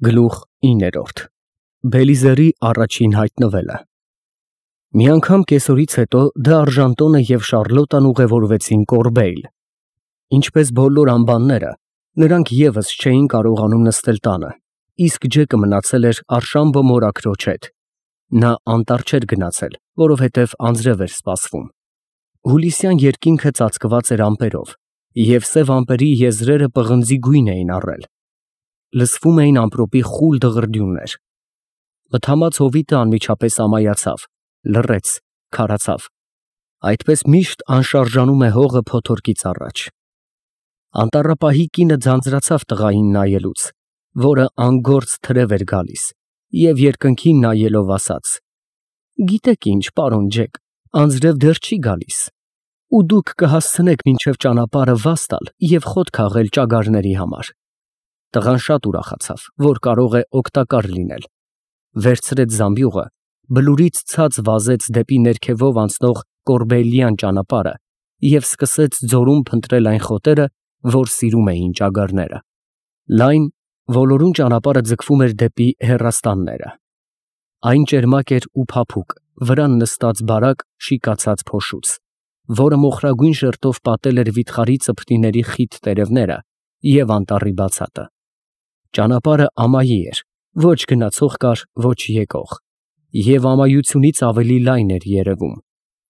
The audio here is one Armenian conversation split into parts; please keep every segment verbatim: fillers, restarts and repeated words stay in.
Գլուխ իններորդ Բելիզերի առաջին հայտնվելը Մի անգամ կեսօրից հետո Դ'Արժանտոնը և Շառլոտան ուղևորվեցին Կորբեյլ։ Ինչպես բոլոր անբանները, նրանք ևս չէին կարողանում նստել տանը, իսկ Ջեկը մնացել էր Արշամբո մորաքրոջ հետ։ Նա անտառ չէր գնացել, որովհետև անձրև էր սպասվում։ Հուլիսյան երկինքը ծածկված էր ամպերով, և սև ամպերի եզրերը պղնձի գույն էին առել։ Լսվում էին ամպրոպի խուլ դղրդյուններ։ Մթամած հովիտը անմիջապես ամայացավ, լռեց, քարացավ։ Այդպես միշտ անշարժանում է հողը փոթորկից առաջ։ Անտառապահի կինը ձանձրացավ տղային նայելուց, որը անգործ թրև էր գալիս, և երկնքին նայելով ասաց. «Գիտեք ինչ, պարոն Ջեք, անձրև դեռ չի գալիս, ու դուք կհասցնեք մինչև ճանապարհը վազ տալ և խոտ քաղել ճագարների համար»։ Տղան շատ ուրախացավ, որ կարող է օգտակար լինել, վերցրեց զամբյուղը, բլուրից ցած վազեց դեպի ներքևով անցնող կորբեյլյան ճանապարհը և սկսեց ձորում փնտրել այն խոտերը, որ սիրում էին ճագարները։ Լայն, ոլորուն ճանապարհը ձգվում էր դեպի հեռաստանները։ Այն ճերմակ էր ու փափուկ, վրան նստած բարակ, շիկացած փոշուց, որը մոխրագույն շերտով պատել էր վիթխարի ծփնիների խիտ տերևները և անտառի բացատը։ Ճանապարհը ամայի էր, ոչ գնացող կար, ոչ եկող, և ամայությունից ավելի լայն էր երևում։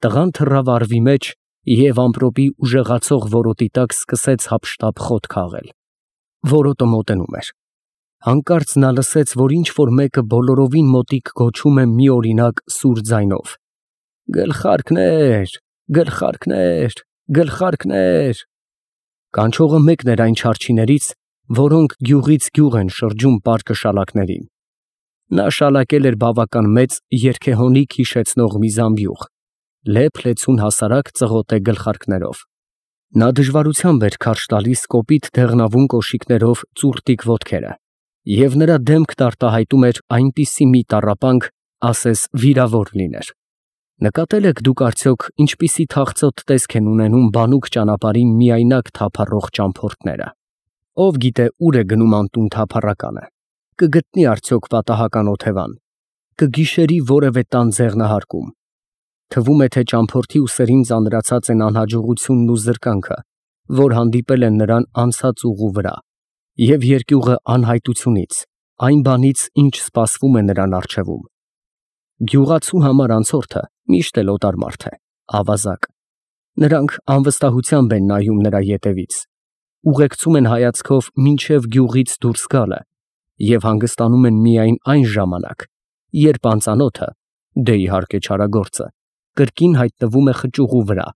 Տղան թռավ առվի մեջ և ամպրոպի ուժեղացող որոտի տակ սկսեց հափշտապ խոտ քաղել։ Որոտը մոտենում էր։ Հանկարծ նա լսեց, որ ինչ֊որ մեկը բոլորովին մոտիկ գոչում է մի օրինակ սուր ձայնով. «Գլխարկներ, գլխարկներ, գլխարկներ»։ Կանչողը մեկն էր այն չարչիներից, որոնք գյուղից գյուղ են շրջում պարկը շալակներին։ Նա շալակել էր բավական մեծ, երգեհոնիկ հիշեցնող մի զամբյուղ, լեփ֊լեցուն հասարակ ծղոտե գլխարկներով։ Նա դժվարությամբ էր քարշ տալիս կոպիտ դեղնավուն կոշիկներով ծուռտիկ ոտքերը, և նրա դեմքն արտահայտում էր այնպիսի մի տառապանք, ասես վիրավոր լիներ։ Նկատել եք դուք արդյոք ինչպիսի թախծոտ տեսք են ունենում բանուկ ճանապարհին միայնակ թափառող ճամփորդները։ Ով գիտե ուր է գնում անտուն թափառականը, կգտնի արդյոք պատահական օթևան, կգիշերի որևէ տան ձեղնահարկում։ Թվում է, թե ճամփորդի ուսերին ծանրացած են անհաջողությունն ու զրկանքը, որ հանդիպել են նրան անցած ուղու վրա, և երկյուղը անհայտությունից, այն բանից, ինչ սպասվում է նրան առջևում։ Գյուղացու համար անցորդը միշտ էլ օտար մարդ է, ավազակ։ Նրանք անվստահությամբ են նայում նրա ետևից, ուղեկցում են հայացքով մինչև գյուղից դուրս գալը և հանգստանում են միայն այն ժամանակ, երբ անծանոթը, դե իհարկե չարագործը, կրկին հայտնվում է խճուղու վրա,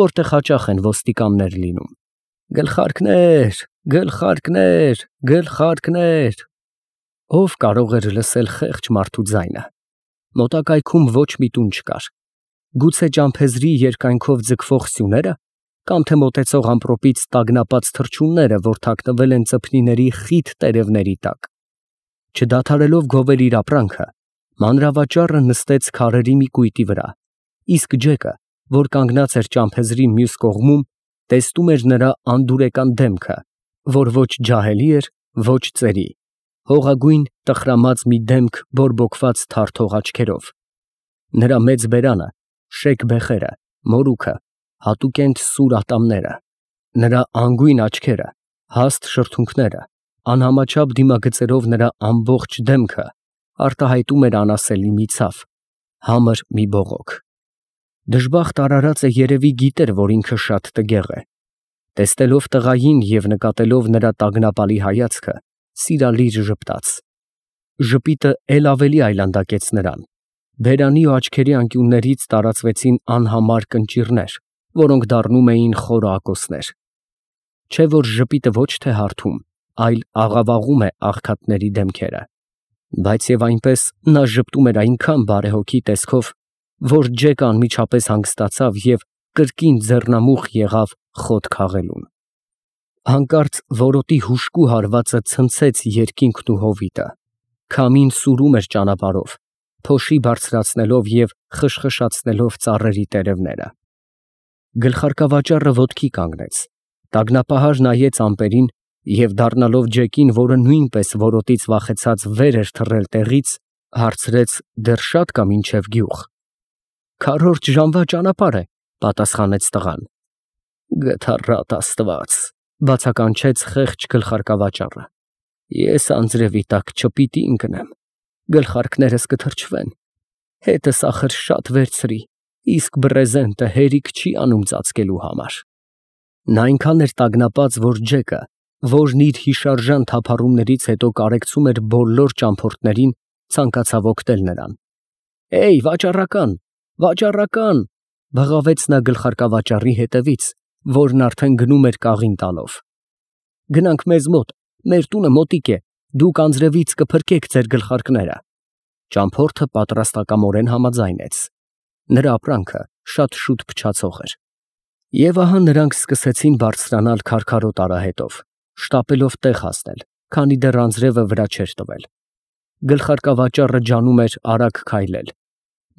որտեղ հաճախ են ոստիկաններ լինում։ Գլխարկներ, գլխարկներ, գլխարկներ։ Ով կարող էր լսել խեղճ մարդու ձայնը։ Մոտակայքում ոչ մի տուն չկար։ Գուցե ճամփեզրի երկայնքով ձգվող սյուները, կամ թե մոտեցող ամպրոպից տագնապած թռչունները, որ թաքնվել են ծփնիների խիտ տերևների տակ։ Չդադարելով գովել իր ապրանքը, մանրավաճառը նստեց քարերի մի կույտի վրա, իսկ Ջեկը, որ կանգնած էր ճամփեզրի մյուս կողմում, տեսնում էր նրա անդուրեկան դեմքը, որ ոչ ջահելի էր, ոչ ծերի, հողագույն տխրամած մի դեմք բորբոքված թարթող աչքերով։ Նրա մեծ բերանը, շեկ բեխերը, մորուքը, հատուկենտ սուր ատամները, նրա անգույն աչքերը, հաստ շրթունքները, անհամաչափ դիմագծերով նրա ամբողջ դեմքը արտահայտում էր անասելի մի ցավ, համր մի բողոք։ Դժբախտ արարածը երևի գիտեր, որ ինքը շատ տգեղ է։ Տեսնելով տղային և նկատելով նրա տագնապալի հայացքը, սիրալիր ժպտաց։ Ժպիտը էլ ավելի այլանդակեց նրան։ Բերանի ու աչքերի անկյուններից տարածվեցին անհամար կնճիռներ, որոնք դառնում էին խորը ակոսներ։ Չէ՞ որ ժպիտը ոչ թե հարթում, այլ աղավաղում է աղքատների դեմքերը։ Բայց և այնպես նա ժպտում էր այնքան բարեհոգի տեսքով, որ Ջեկը անմիջապես հանգստացավ և կրկին ձեռնամուխ եղավ խոտ քաղելուն։ Հանկարծ որոտի հուժկու հարվածը ցնցեց երկինքն ու հովիտը։ Քամին սուրում էր ճանապարհով, փոշի բարձրացնելով և խշխշացնելով ծառերի տերևները։ Գլխարկավաճառը ոտքի կանգնեց, տագնապահար նայեց ամպերին Եվ դառնալով Ջեկին, որը նույնպես որոտից վախեցած վեր էր թռել տեղից, հարցրեց. «Դեռ շատ կա մինչև գյուղ»։ «Քառորդ ժամվա ճանապարհ է», պատասխանեց տղան։ «Գթառատ Աստված», բացականչեց խեղճ գլխարկավաճառը, «ես անձրևի տակ չպիտի ընկնեմ, գլխարկներս կթրջվեն, հետս ախր շատ վերցրի, իսկ բռեզենտը հերիք չի անում ծածկելու համար»։ Նա այնքան էր տագնապած, որ Ջեկը, որն իր հիշարժան թափառումներից հետո կարեկցում էր բոլոր ճամփորդներին, ցանկացավ օգնել նրան։ «Էյ, վաճառական, վաճառական», բղավեց նա գլխարկավաճառի հետևից, որն արդեն գնում էր կաղին տալով։ «Գնանք մեզ մոտ, մեր տունը մոտիկ է, դուք անձրևից կփրկեք ձեր գլխարկները»։ Ճամփորդը պատրաստակամորեն համաձայնեց։ Նրա ապրանքը շատ շուտ փչացող էր։ Եվ ահա նրանք սկսեցին բարձրանալ քարքարոտ արահետով, շտապելով տեղ հասնել, քանի դեռ անձրևը վրա չէր տվել։ Գլխարկավաճառը ջանում էր արագ քայլել։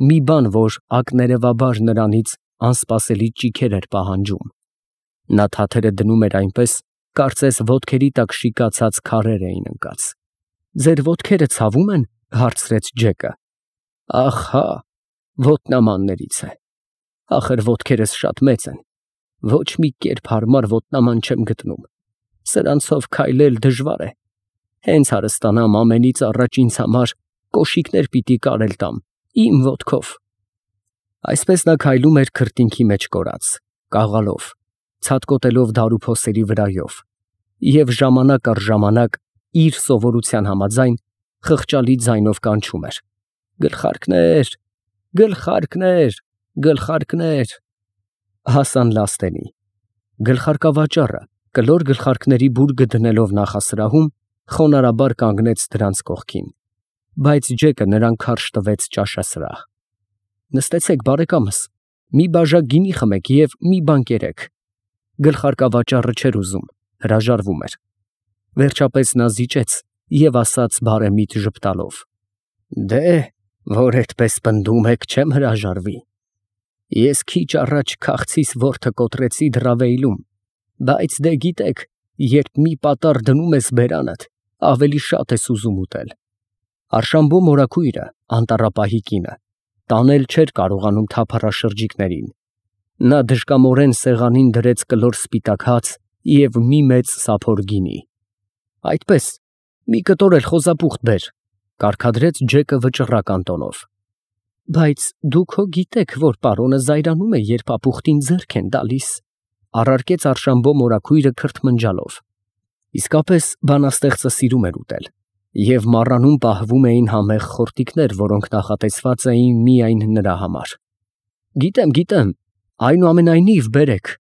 Մի բան, որ ակներևաբար նրանից անսպասելի ճիգեր էր պահանջում։ Նա թաթերը դնում էր այնպես, կարծես ոտքերի տակ շիկացած քարեր էին ընկած։ «Ձեր ոտքերը ցավում են»։ Հարցրեց Ջեկը։ «Ախ, հա, ոտնամաններից է։ Ախր ոտքերս շատ մեծ են, ոչ մի կերպ հարմար ոտնաման չեմ գտնում, սրանցով քայլել դժվար է։ Հենց հարստանամ, ամենից առաջ ինձ համար կոշիկներ պիտի կարել տամ, իմ ոտքով»։ Այսպես նա քայլում էր քրտինքի մեջ կորած, կաղալով, ցատկոտելով դարուփոսերի վրայով, և ժամանակ առ ժամանակ իր սովորության համաձայն խղճալի ձայնով կանչում էր. «Գլխարկներ, գլխարկներ, գլխարկներ»։ Հասան լաստենի։ Գլխարկավաճառը, կլոր գլխարկների բուրգը դնելով նախասրահում, խոնարհաբար կանգնեց դրանց կողքին, բայց Ջեկը նրան քարշ տվեց ճաշասրահ։ «Նստեցեք, բարեկամս, մի բաժակ գինի խմեք և մի բան կերեք»։ Գլխարկավաճառը չէր ուզում, հրաժարվում էր։ Վերջապես նա զիջեց և ասաց բարեմիտ ժպտալով. «Դե, որ այդպես պնդում եք, չեմ հրաժարվի։ Ես քիչ առաջ քաղցիս որդը կոտրեցի Դրավեյլում, բայց դե գիտեք, երբ մի պատառ դնում ես բերանդ, ավելի շատ ես ուզում ուտել»։ Արշամբո մորաքույրը, անտառապահի կինը, տանել չէր կարողանում թափառաշրջիկներին։ Նա դժկամորեն սեղանին դրեց կլոր սպիտակ հաց և մի մեծ սափոր գինի։ «Այդպես, մի կտոր էլ խոզապուխտ բեր», կարգադրեց Ջեկը վճռական տոնով։ «Բայց դուք հո գիտեք, որ պարոնը զայրանում է, երբ ապուխտին ձեռք են տալիս», առարկեց Արշամբո մորաքույրը քրթմնջալով։ Իսկապես բանաստեղծը սիրում էր ուտել, և մառանում պահվում էին համեղ խորտիկներ, որոնք նախատեսված էին միայն նրա համար։ «Գիտեմ, գիտեմ, այնուամենայնիվ բերեք»,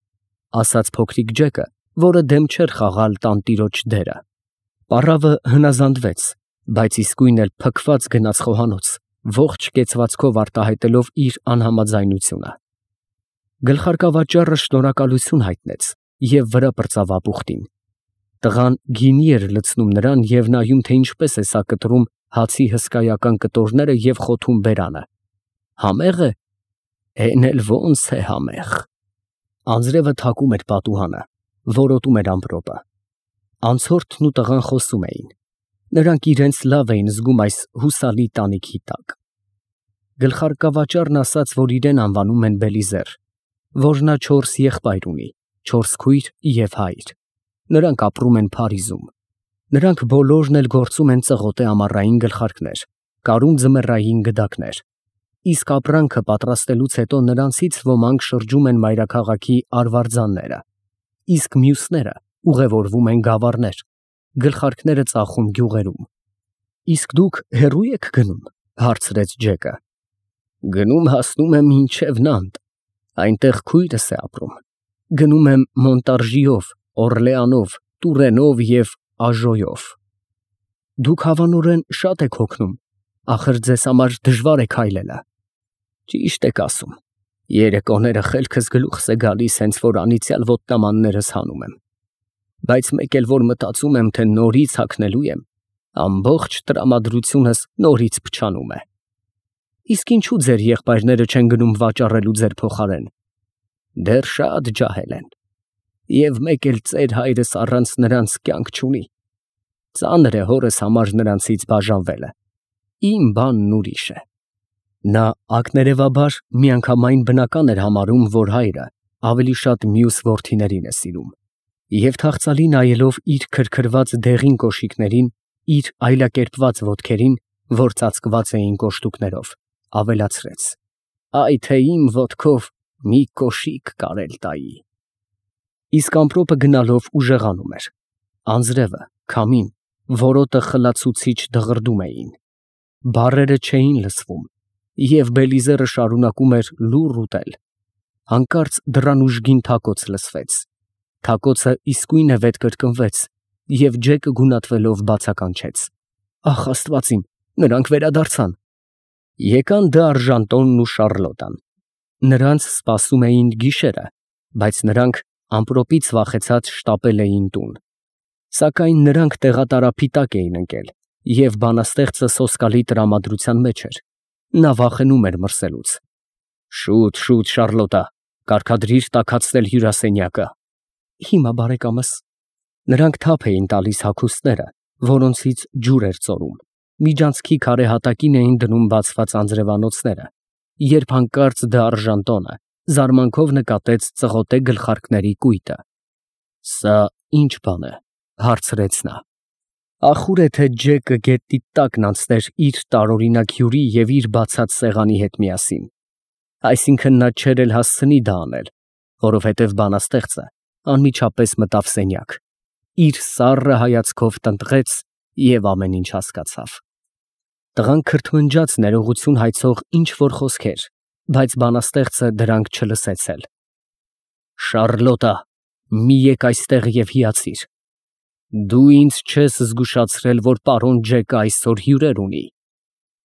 ասաց փոքրիկ Ջեկը, որը դեմ չէր խաղալ տանտիրոջ դերը։ Պառավը հնազանդվեց, բայց իսկույն էլ փքված գնաց խոհանոց, ողջ կեցվածքով արտահայտելով իր անհամաձայնությունը։ Գլխարկավաճառը շնորհակալություն հայտնեց և վրա պրծավ ապուխտին։ Տղան գինի էր լցնում նրան և նայում, թե ինչպես է սա կտրում հացի հսկայական կտորները և խոթում բերանը։ «Համե՞ղ է»։ «Էն էլ ո՞նց է համեղ»։ Անձրևը թակում էր պատուհանը, որոտում էր ամպրոպը։ Անցորդն ու տղան խոսում էին։ Նրանք իրենց լավ էին զգում այս հուսալի տանիքի տակ։ Գլխարկավաճառն ասաց, որ իրեն անվանում են Բելիզեր, որ նա չորս եղբայր ունի, չորս քույր և հայր։ Նրանք ապրում են Փարիզում։ Նրանք բոլորն էլ գործում են ծղոտե ամառային գլխարկներ, կարում ձմեռային գդակներ։ Իսկ ապրանքը պատրաստելուց հետո նրանցից ոմանք շրջում են մայրաքաղաքի արվարձանները, իսկ մյուսները ուղևորվում են գավառներ, գլխարկները ծախում գյուղերում։ «Իսկ դուք հեռո՞ւ եք գնում»։ Հարցրեց Ջեկը։ «Գնում հասնում եմ մինչև Նանտ, այնտեղ քույրս է ապրում։ Գնում եմ Մոնտարժիով, Օռլեանով, Տուրենով և Աժոյով»։ «Դուք հավանորեն շատ եք հոգնում, ախր ձեզ համար դժվար է քայլելը»։ «Ճիշտ եք ասում, երեկոները խելքս գլուխս է գալիս, հենց որ անիծյալ ոտնամաններս հանում եմ։ Բայց մեկ էլ որ մտածում եմ, թե նորից հագնելու եմ, ամբողջ տրամադրությունս նորից փչանում է»։ «Իսկ ինչու ձեր եղբայրները չեն գնում վաճառելու ձեր փոխարեն»։ «Դեռ շատ ջահել են։ Եվ մեկ էլ ծեր հայրս առանց նրանց կյանք չունի։ Ծանր է հորս համար նրանցից բաժանվելը։ Իմ բանն ուրիշ է։ Նա ակներևաբար միանգամայն բնական էր համարում, որ հայրը ավելի շատ մյուս որդիներին է սիրում, և թախծալի նայելով իր քրքրված դեղին կոշիկներին, իր այլակերպված ոտքերին, որ ծածկված էին կոշտուկներով, ավելացրեց. «Այ թե իմ ոտքով մի կոշիկ կարել տայի»։ Իսկ ամպրոպը գնալով ուժեղանում էր։ Անձրևը, քամին, որոտը խլացուցիչ դղրդում էին։ Բառերը չէին լսվում, և Բելիզերը շարունակում էր լուռ ուտել։ Հանկարծ դռան ուժգին թակոց լսվեց։ Թակոցը իսկույն վետ կրկնվեց, և Ջեկը գունատվելով բացականչեց. «Ախ, Աստված իմ, նրանք վերադարձան»։ Եկան Դ'Արժանտոնն ու Շառլոտան։ Նրանց սպասում էին գիշերը, բայց նրանք ամպրոպից վախեցած շտապել էին տուն։ Սակայն նրանք տեղատարափի տակ էին ընկել, և բանաստեղծը սոսկալի տրամադրության մեջ էր. նա վախենում էր մրսելուց։ «Շուտ, շուտ, Շառլոտա, կարգադրիր տաքացնել հյուրասենյակը»։ «Հիմա, բարեկամս»։ Նրանք թափ էին տալիս հագուստները, որոնցից ջուր էր ծորում, միջանցքի քարե հատակին էին դնում բացված անձրևանոցները, երբ հանկարծ Դ'Արժանտոնը զարմանքով նկատեց ծղոտե գլխարկների կույտը։ «Սա ի՞նչ բան է», հարցրեց նա։ Ախուր է, թե Ջեկը գետնի տակն անցներ իր տարօրինակ հյուրի և իր բացած սեղանի հետ միասին։ Այսինքն՝ նա չէր էլ հասցնի դա անել, որովհետև բանաստեղծը անմիջապես մտավ սենյակ, իր սառը հայացքով տնտղեց և ամեն ինչ հասկացավ։ Տղան քրթմնջաց ներողություն հայցող ինչ֊որ խոսքեր, բայց բանաստեղծը դրանք չլսեց էլ։ «Շառլոտա, մի եկ այստեղ և հիացիր։ Դու ինձ չես զգուշացրել, որ պարոն Ջեկը այսօր հյուրեր ունի։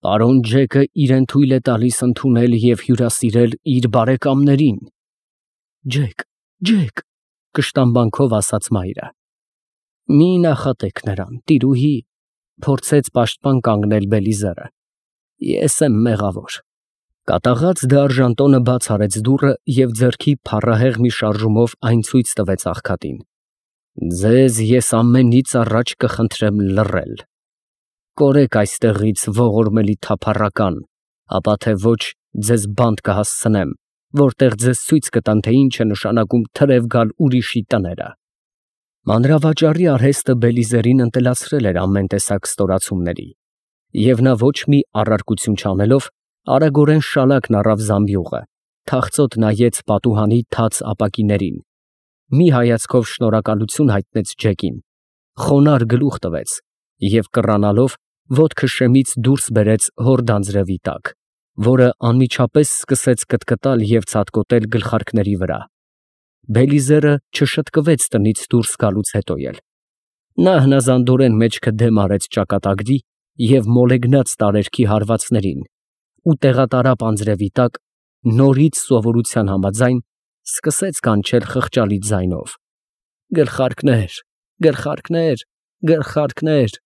Պարոն Ջեկը իրեն թույլ է տալիս ընդունել և հյուրասիրել իր բարեկամներին»։ «Ջեք, Ջեք», կշտամբանքով ասաց մայրը։ «Մի նախատեք նրան, տիրուհի», փորձեց պաշտպան կանգնել Բելիզերը։ «Ես եմ մեղավոր»։ Կատաղած Դ'Արժանտոնը բաց արեց դուռը և ձեռքի փառահեղ մի շարժումով այն ցույց տվեց աղքատին։ «Ձեզ ես ամենից առաջ կխնդրեմ լռել։ Կորեք այստեղից ողորմելի թափառական, ապա թե ոչ ձեզ բանտ կհասցնեմ, որտեղ ձեզ ցույց կտամ, թե ինչ է նշանակում թրև գալ ուրիշի տները»։ Մանրավաճառի արհեստը Բելիզերին ընտելացրել էր ամեն տեսակ ստորացումների, և նա ոչ մի առարկություն չանելով, արագորեն շալակն առավ զամբյուղը, թախծոտ նայեց պատուհանի թաց ապակիներին, մի հայացքով շնորհակալություն հայտնեց Ջեկին, խոնարհ գլուխ տվեց և կռանալով ոտքը շեմից դուրս բերեց հորդ անձրևի տակ, որը անմիջապես սկսեց կտկտալ և ցատկոտել գլխարկների վրա։ Բելիզերը չշտկվեց տնից դուրս գալուց հետո էլ։ Նա հնազանդորեն մեջքը դեմ արեց ճակատագրի և մոլեգնած տարերքի հարվածներին ու տեղատարափ անձրևի տակ, նորից սովորության համաձայն, սկսեց կանչել խղճալի ձայնով. «Գլխարկներ, գլխարկներ, գլխարկներ»։